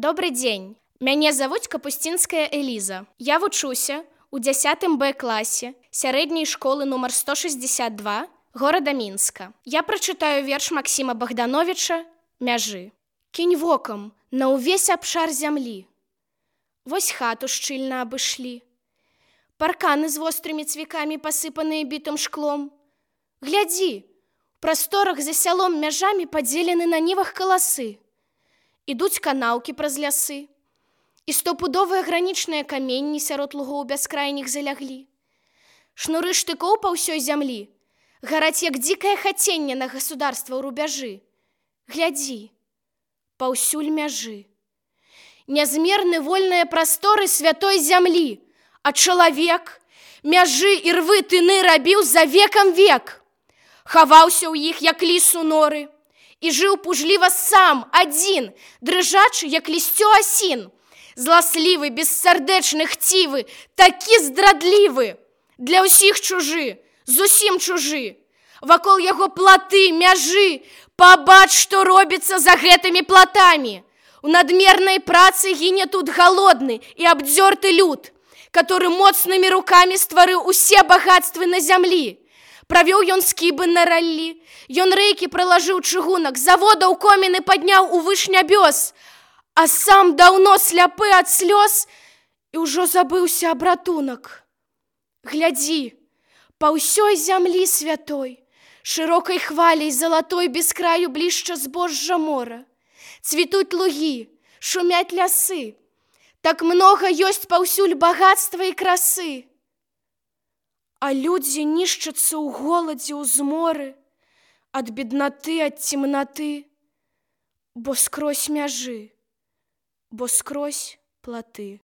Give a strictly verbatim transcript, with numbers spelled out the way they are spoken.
Добрый дзень. Мяне завуць Капусцінская Эліза. Я вучуся ў дзясятым Б класе сярэдняй школы нумар сто шэсцьдзесят два горада Мінска. Я прачытаю верш Максіма Богдановича «Мяжы». Кінь вокам на ўвесь абшар зямлі. Вось хату шчыльна абышлі. Парканы з вострымі цвікамі, пасыпаныя бітым шклом. Глядзі, у прасторах за сялом мяжамі падзелены на нівах каласы. Ідуць канаўкі праз лясы. І стопудовыя гранічныя каменні сярод лугоў бяскрайніх заляглі. Шнуры штыкоў па ўсёй зямлі гараць, як дзікае хаценне на государства ў рубяжы. Глядзі, паўсюль мяжы. Нязмерны вольныя прасторы святой зямлі, а чалавек мяжы і рвы тыны рабіў за векам век. Хаваўся ў іх, як ліс у норы, і жыў пужліва сам, адзін, дрыжачы, як лісцё асін. Зласлівы, бессардэчны, хцівы, такі здрадлівы, для ўсіх чужы, зусім чужы. Вакол яго платы, мяжы, пабач, што робіцца за гэтымі платамі. У надмернай працы гіне тут галодны і абдзёрты люд, который моцнымі рукамі стварыў усе багацтвы на зямлі. Правёў ён скібы на раллі, ён рэйкі пралажыў чыгунак, заводаў коміны падняў увыш нябёс, а сам даўно сляпы ад слёз і ўжо забыўся аб ратунак. Глядзі, па ўсёй зямлі святой, шырокай хваляй залатой без краю блішча збожжа мора. Цвітуць лугі, шумяць лясы, так многа ёсць паўсюль багатства і красы. А людзі нішчацца ў голадзе, ў зморы, ад беднаты, ад цемнаты, бо скрозь мяжы, бо скрозь платы.